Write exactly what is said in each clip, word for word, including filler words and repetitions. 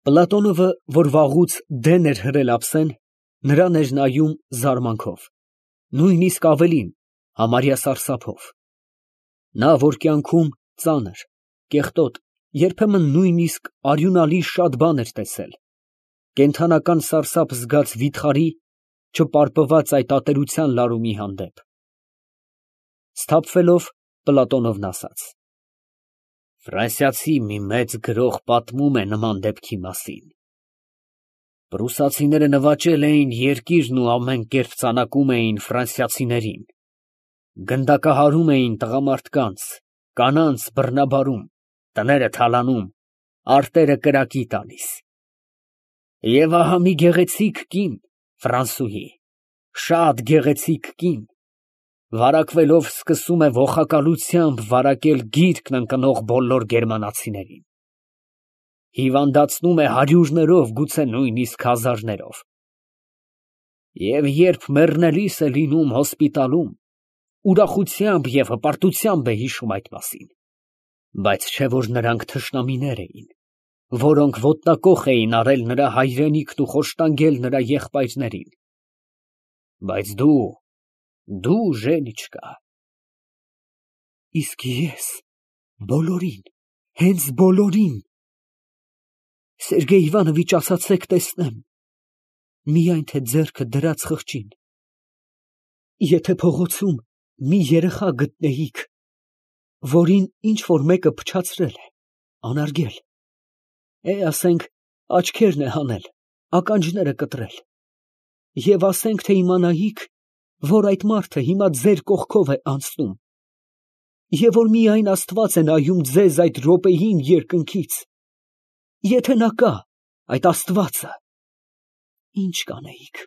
Պլատոնովը, որ վաղուց դեն էր հրել ափսեն, նրան էր նայում զարմանքով, նույնիսկ ավելին, համարյա սարսափով. նա, որ կյանքում ծանր, կեղտոտ, երբեմն նույնիսկ արյունալի շատ բան էր տեսել, կենդանական սարսափ զգաց վիթխարի, չպարպված այդ ատելության լարումի հանդեպ, սթափվելով, Պլատոնովն ասաց. «Ֆրանսիացի մի մեծ գրող պատմում է նման դեպքի մասին. պրուսացիները նվաճել էին երկիրն ու ամեն կերպ ծանակում էին ֆրանսիացիներին, գնդակահարում էին տղամարդկանց, կանանց բռնաբարում, տները թալանում, արտերը կրակի տալիս. և ահա մի գեղեցիկ կին, ֆրանսուհի, շատ գեղեցիկ կին, վարակվելով սկսում է ոխակալությամբ վարակել գիրկն ընկնող բոլոր գերմանացիներին, հիվանդացնում է հարյուրներով, գուցե նույնիսկ հազարներով, և երբ մեռնելիս է լինում հոսպիտալում, ուրախությամբ և հպարտությամբ է հիշում այդ մասին, բայց չէ՞ որ նրանք թշնամիներ էին, որոնք ոտնակոխ էին արել նրա հայրենիքն ու խոշտանգել նրա եղբայրներին, բայց դու, դու, Ժենիչկա, իսկ ես բոլորին, հենց բոլորին, Սերգեյ Իվանովիչ, ասացեք տեսնեմ, միայն թե ձեռքը դրած խղճին, եթե փողոցում մի երեխա գտնեիք, որին ինչ֊որ մեկը փչացրել է, անարգել, է, ասենք, աչքերն է հանել, ականջները կտրել, և ասենք, թե իմանայիք, որ այդ մարդը հիմա ձեր կողքով է անցնում, և որ միայն Աստված է նայում ձեզ այդ րոպեին երկնքից, եթե նա կա, այդ Աստվածը, ի՞նչ կանեիք։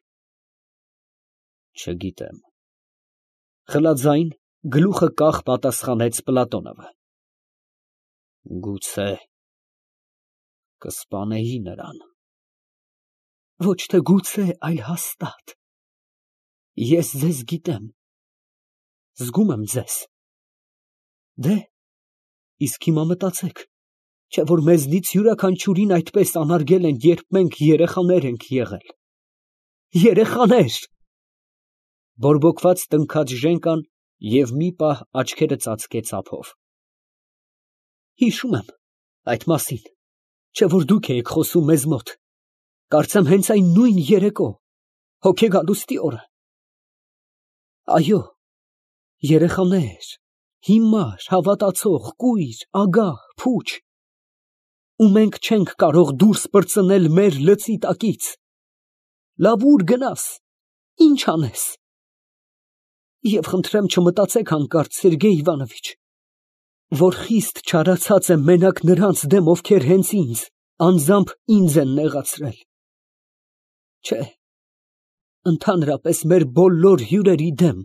Չգիտեմ, խլաձայն, գլուխը կախ պատասխանեց Պլատոնովը, գուցե կսպանեի նրան։ Ոչ թե գուցե, այլ հաստատ, ես ձեզ գիտեմ, զգում եմ ձեզ, դե, իսկ հիմա մտածեք, չէ՞ որ մեզնից յուրաքանչյուրին այդպես անարգել են, երբ մենք երեխաներ ենք եղել, երեխաներ… Բորբոքված տնքաց Ժենկան և մի պահ աչքերը ծածկեց ափով։ Հիշում եմ այդ մասին, չէ՞ որ դուք էիք խոսում մեզ մոտ, կարծեմ հենց այն նույն երեկո, հոգեգալուստի օրը… Այո, երեխաներ, հիմար, հավատացող, կույր, ագահ, փուչ… ու մենք չենք կարող դուրս պրծնել մեր լծի տակից… Լավ, ուր գնաս, ի՞նչ անես… Եվ խնդրեմ չմտածեք հանկարծ, Սերգեյ Իվանովիչ, որ խիստ չարացած եմ մենակ նրանց դեմ, ովքեր հենց ինձ, անձամբ ինձ են նեղացրել… Չէ, ընդհանրապես մեր բոլոր հյուրերի դեմ,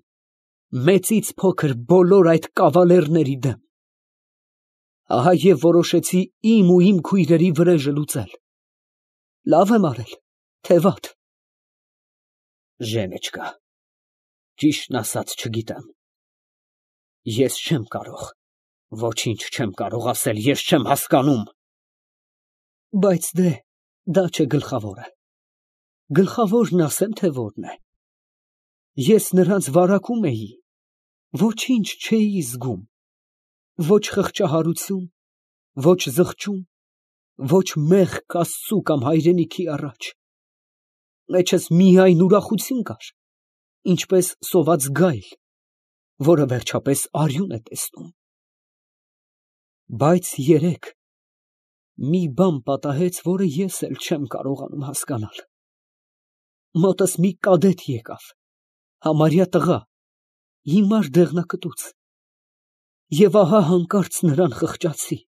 մեծից փոքր բոլոր այդ կավալերների դեմ… Ահա և որոշեցի իմ ու իմ քույրերի վրեժը լուծել… Լավ եմ արել, թե վատ… Ժենիչկա, ճիշտն ասած չգիտեմ… Ես չեմ կարող, ոչինչ չեմ կարող ասել, ես չեմ հասկանում… Բայց դե, դա չէ գլխավորը… Գլխավորն ասեմ, թե որն է… Ես նրանց վարակում էի, ոչինչ չէի զգում, ոչ խղճահարություն, ոչ զղջում, ոչ մեղք Աստծու կամ հայրենիքի առաջ… Մեջս միայն ուրախություն կար, ինչպես սոված գայլ, որը վերջապես արյուն է տեսնում… Բայց երեկ մի բան պատահեց, որը ես էլ չեմ կարողանում հասկանալ… Մոտս մի կադետ եկավ, համարյա տղա, հիմար դեղնակտուց… Եվ ահա հանկարծ նրան խղճացի…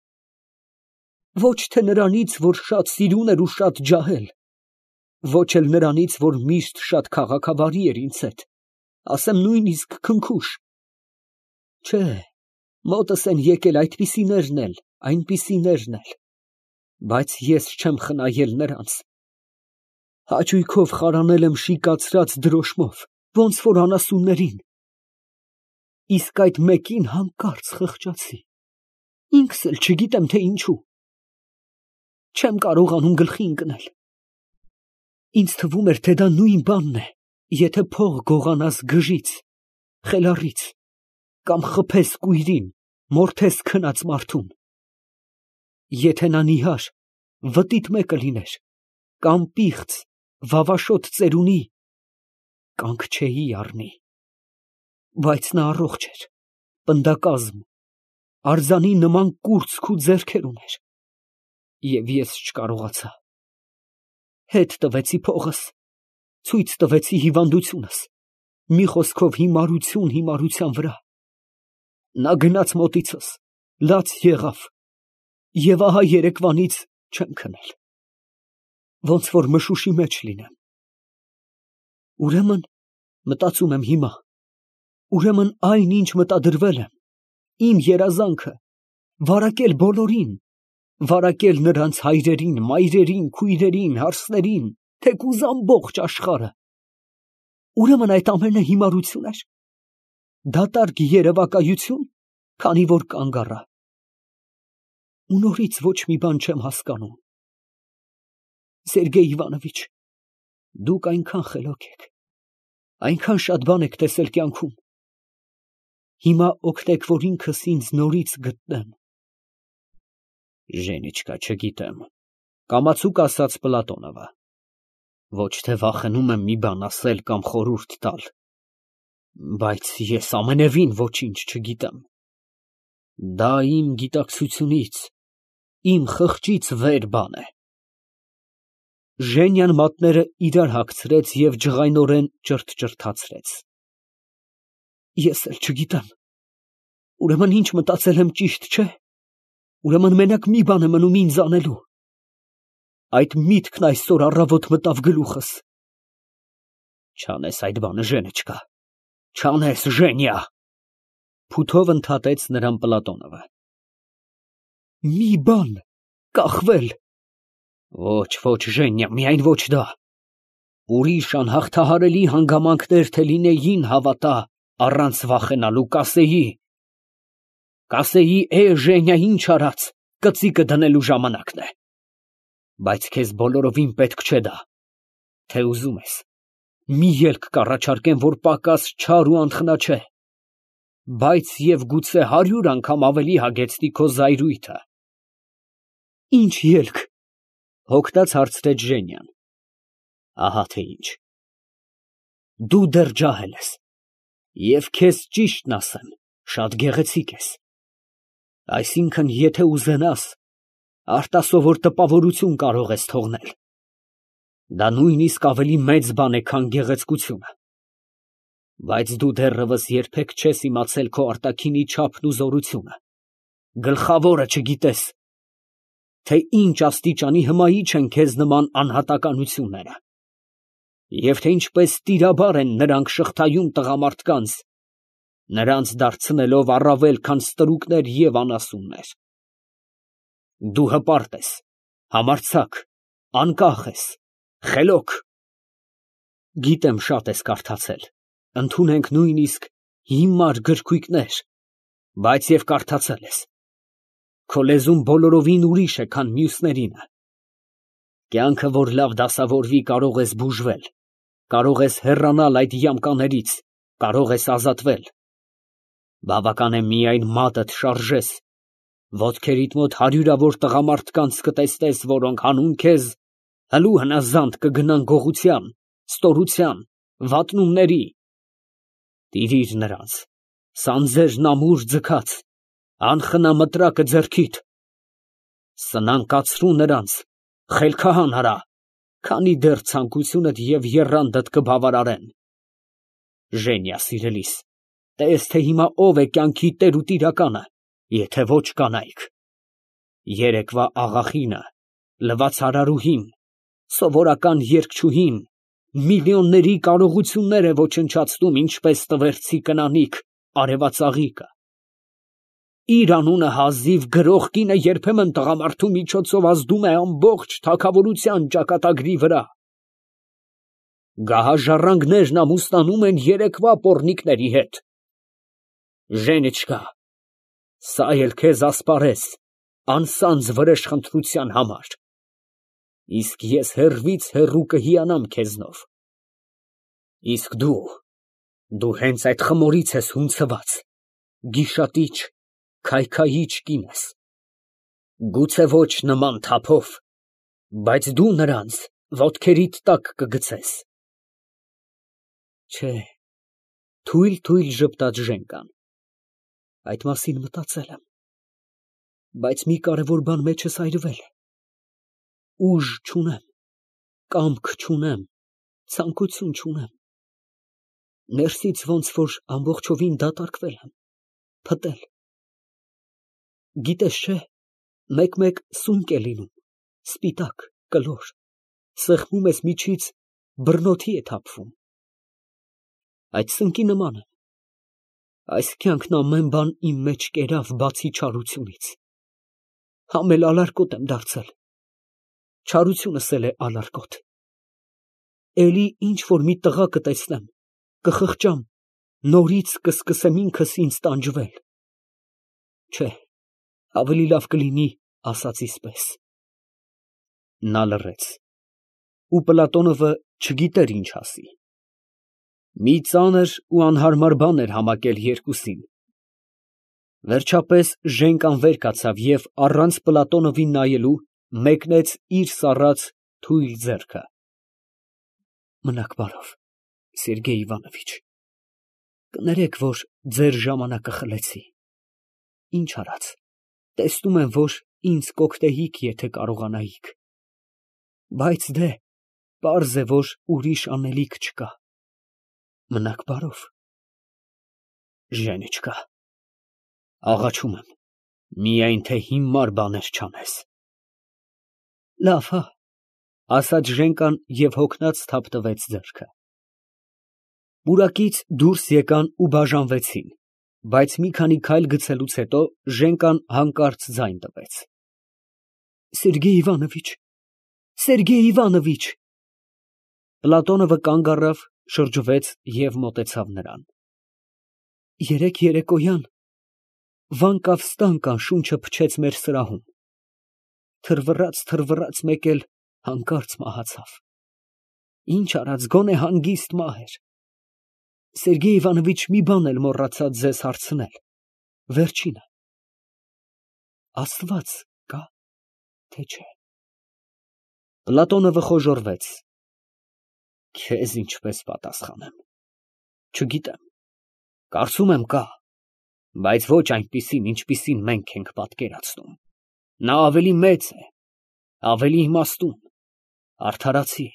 Ոչ թե նրանից, որ շատ սիրուն էր ու շատ ջահել, ոչ էլ նրանից, որ միշտ շատ քաղաքավարի էր ինձ հետ, ասեմ նույնիսկ քնքուշ… Չէ, մոտս են եկել այդպիսիներն էլ, այնպիսիներն էլ… Բայց ես չեմ խնայել նրանց… Հաճույքով խարանել եմ շիկացրած դրոշմով, ոնց որ անասուններին… Իսկ այդ մեկին հանկարծ խղճացի… Ինքս էլ չգիտեմ, թե ինչու… չեմ կարողանում գլխի ընկնել։ Ինձ թվում էր, թե դա նույն բանն է, եթե փող գողանաս գժից, խելառից, կամ խփես կույրին, մորթես քնած մարդուն։ Եթե նա նիհար, վտիտ մեկը լիներ, կամ պիղծ, վավաշոտ ծերունի, կանք չէի առնի։ Բայց նա առողջ էր, պնդակազմ, արձանի նման կուրծք ու ձեռքեր ուներ, և ես չկարողացա։ Հետ տվեցի փողս, ցույց տվեցի հիվանդությունս, մի խոսքով հիմարություն հիմարության վրա։ Նա գնաց մոտիցս, լաց եղավ, և ահա երեկվանից չեմ քնել, ոնց որ մշուշի մեջ լինեմ։ Ուրեմն, մտածում եմ հիմա, ուրեմն այն, ինչ մտադրվել եմ, իմ երազանքը, վարակել բոլորին, վարակել նրանց հայրերին, մայրերին, քույրերին, հարսներին, թեկուզ ամբողջ աշխարհը, ուրեմն այդ ամենը հիմարություն էր, դատարկ երևակայություն, քանի որ կանգ առա։ Ու նորից ոչ մի բան չեմ հասկանում։ Սերգեյ Իվանովիչ, դուք այնքան խելոք եք, այնքան շատ բան եք տեսել կյանքում։ Հիմա օգնեք, որ ինքս ինձ նորից գտնեմ։ Ժենիչկա, չգիտեմ, կամացուկ ասաց Պլատոնովը։ Ոչ թե վախենում եմ մի բան ասել կամ խորհուրդ տալ, բայց ես ամենևին ոչինչ չգիտեմ։ Դա իմ գիտակցությունից, իմ խղճից վեր բան է։ Ժենյան մատները իրար հագցրեց և ջղայնորեն ճրթճրթացրեց։ Ես էլ չգիտեմ, ուրեմն ինչ մտածել եմ ճիշտ չէ, ուրեմն մենակ մի բան է մնում ինձ անելու։ Այդ միտքն այսօր առավոտ մտավ գլուխս։ Չանես այդ բանը, Ժենիչկա, չանես, Ժենյա, փութով ընդհատեց նրան Պլատոնովը։ Մի բան, կախվել։ Ոչ, ոչ, Ժենյա, միայն ոչ դա։ Ուրիշ անհաղթահարելի հանգամանքներ թե լինեին, հավատա, առանց վախենալու կասեի։ Կասեի, է, Ժենյա, ինչ արած, կծիկը դնելու ժամանակն է։ Բայց քեզ բոլորովին պետք չէ դա։ Թե ուզում ես, մի ելք կառաջարկեմ, որ պակաս չար ու անխնա չէ, բայց և գուցե հարյուր անգամ ավելի հագեցնի քո զայրույթը։ Ինչ ելք, հոգնած հարցրեց Ժենյան։ Ահա թե ինչ։ Դու դեռ ջահել ես, և քեզ ճիշտն ասեմ, շատ գեղեցիկ ես։ Այսինքն, եթե ուզենաս, արտասովոր տպավորություն կարող ես թողնել։ Դա նույնիսկ ավելի մեծ բան է, քան գեղեցկությունը։ Բայց դու դեռևս երբեք չես իմացել քո արտաքինի չափն ու զորությունը։ Գլխավորը չգիտես, թե ինչ աստիճանի հմայիչ են քեզ նման անհատականությունները, և թե ինչպես տիրաբար են նրանք շղթայում տղամարդկանց, նրանց դարձնելով առավել, քան ստրուկներ և անասուններ։ Դու հպարտ ես, համարձակ, անկախ ես, խելոք։ Գիտեմ, շատ ես կարդացել, ընդունենք նույնիսկ հիմար գրքույկներ, բայց և կարդացել ես։ Քո լեզուն բոլորովին ուրիշ է, քան մյուսներինը։ Կյանքը, որ լավ դասավորվի, կարող ես բուժվել, կարող ես հեռանալ այդ յամկաներից, կարող ես ազատվել։ Բավական է միայն մատդ շարժես, ոտքերիդ մոտ հարյուրավոր տղամարդկանց կտեսնես, որոնք հանուն քեզ հլու հնազանդ կգնան գողության, ստորության, վատնումների։ Տիրիր նրանց, սանձերն ամուր ձգած, անխնա մտրակը ձեռքիդ։ Սնանկացրու նրանց, խելքահան արա, քանի դեռ ցանկությունդ և եռանդդ կբավարարեն։ Ժենյա սիրելիս, տես, թե հիմա ով է կյանքի տեր ու տիրականը, եթե ոչ կանայք։ Երեկվա աղախինը, լվացարարուհին, սովորական երգչուհին, միլիոնների կարողություններ է ոչնչացնում, ինչպես տվերցի կնանիք, արևածաղիկը։ Իր անունը հազիվ գրող կինը երբեմն տղամարդու միջոցով ազդում է ամբողջ թագավորության ճակատագրի վրա։ Գահաժառանգներն ամուսնանում են երեկվա պոռնիկների հետ։ Ժենիչկա, սա էլ քեզ ասպարեզ, անսանձ վրեժխնդրության համար։ Իսկ ես հեռվից հեռու կհիանամ քեզնով։ Իսկ դու, դու հենց այդ խմորից ես հունցված, գիշատիչ, քայքայիչ կին ես, գուցե ոչ նման թափով, բայց դու նրանց ոտքերիդ տակ կգցես։ Չէ, թույլ ժպտաց Ժենկան, այդ մասին մտածել եմ, բայց մի կարևոր բան մեջս այրվել է, ուժ չունեմ, կամք չունեմ, ցանկություն չունեմ, ներսից ոնց որ ամբողջովին դատարկվել եմ, փտել։ Գիտես չէ, մեկ-մեկ սունկ է լինում, սպիտակ, կլոր, սեղմում ես միջից, բռնոթի է թափվում։ Այդ սնկի նման եմ, այս կյանքն ամեն բան իմ մեջ կերավ, բացի չարությունից, համ էլ ալարկոտ եմ դարձել, չարությունս էլ է ալարկոտ, էլի ինչ որ մի տղա կտեսնեմ, կխղճամ, նորից կսկսեմ ինքս ինձ տանջվել, չէ, ավելի լավ կլինի ասածիս պես։ Նա լռեց, ու Պլատոնովը չգիտեր ինչ ասի, մի ծանր ու անհարմար բան էր համակել երկուսին։ Վերջապես Ժենկան վեր կացավ և առանց Պլատոնովին նայելու մեկնեց իր սառած թույլ ձեռքը։ Մնաք բարով, Սերգեյ Իվանովիչ, կներեք, որ ձեր ժամանակը խլեցի, ինչ արած, տեսնում եմ, որ ինձ կօգնեիք, եթե կարողանայիք, բայց դե, պարզ է, որ ուրիշ անելիք չկա, մնաք բարով։ Ժենիչկա, աղաչում եմ, միայն թե հիմար բաներ չանես։ Լավ, հա, ասաց Ժենկան և հոգնած թափտվեց ձեռքը։ Պուրակից դուրս եկան ու բաժանվեցին, բայց մի քանի քայլ գցելուց հետո Ժենկան հանկարծ ձայն տվեց. Սերգեյ Իվանովիչ, Սերգեյ Իվանովիչ։ Պլատոնովը կանգ առավ, շրջվեց և մոտեցավ նրան։ Երեկ երեկոյան վանկավ֊ստանկան շունչը փչեց մեր սրահում, թրվռաց, մեկ էլ հանկարծ մահացավ, ինչ արած, գոնե հանգիստ մահ էր։ Սերգեյ Իվանովիչ, մի բան էլ մոռացա ձեզ հարցնել, վերջինը, Աստված կա, թե չէ։ Պլատոնովը խոժոռվեց։ Քեզ ինչպես պատասխանեմ, չգիտեմ, կարծում եմ կա, բայց ոչ այնպիսին, ինչպիսին մենք ենք պատկերացնում, նա ավելի մեծ է, ավելի իմաստուն, արդարացի։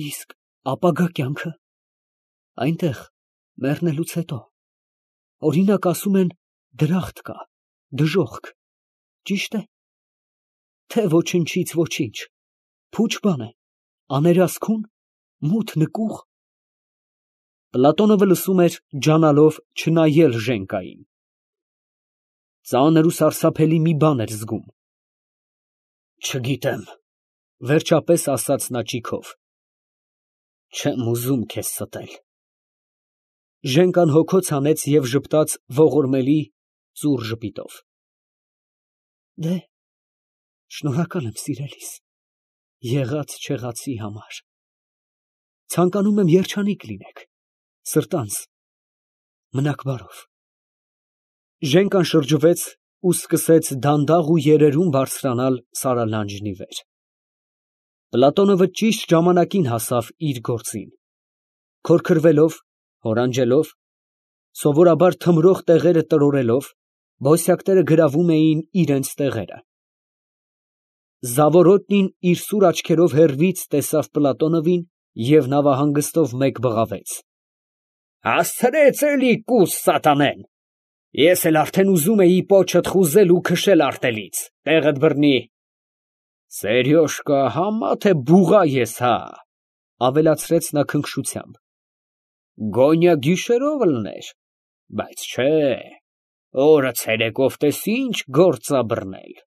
Իսկ ապագա կյանքը, այնտեղ, մեռնելուց հետո, օրինակ ասում են, դրախտ կա, դժոխք, ճիշտ է, թե ոչնչից ոչինչ, փուչ բան է, աներասքուն, մութ նկուղ։ Պլատոնովը լսում էր, ջանալով չնայել Ժենկային։ Ծանր ու սարսափելի մի բան էր զգում։ Չգիտեմ, վերջապես ասաց նա ճիգով, չեմ ուզում քեզ ստել։ Ժենկան հոգոց հանեց և ժպտաց ողորմելի ծուռ ժպիտով։ Դե, շնորհակալ եմ սիրելիս, եղած֊չեղածի համար, ցանկանում եմ երջանիկ լինեք, սրտանց, մնաք բարով։ Ժենկան շրջվեց ու սկսեց դանդաղ ու երերուն բարձրանալ սարալանջնի վեր։ Պլատոնովը ճիշտ ժամանակին հասավ իր գործին, քորքրվելով, հորանջելով, սովորաբար թմրող տեղերը տրորելով, բոսյակները գրավում էին իրենց տեղերը։ Զավորոտնին իր սուր աչքերով հեռվից տեսավ Պլատոնովին և նավահանգստով մեկ բղավեց. Հասցրեց էլի կուս սատանեն, ես էլ արդեն ուզում էի պոչդ խուզել ու քշել արտելից, տեղդ բռնի։ Սերյոժկա, համա թե բուղա ես, հա, ավելացրեց նա քնքշությամբ, գոնյա գիշերով լներ, բայց չէ, օրը ցերեկով տես ինչ գործ ա բռնել։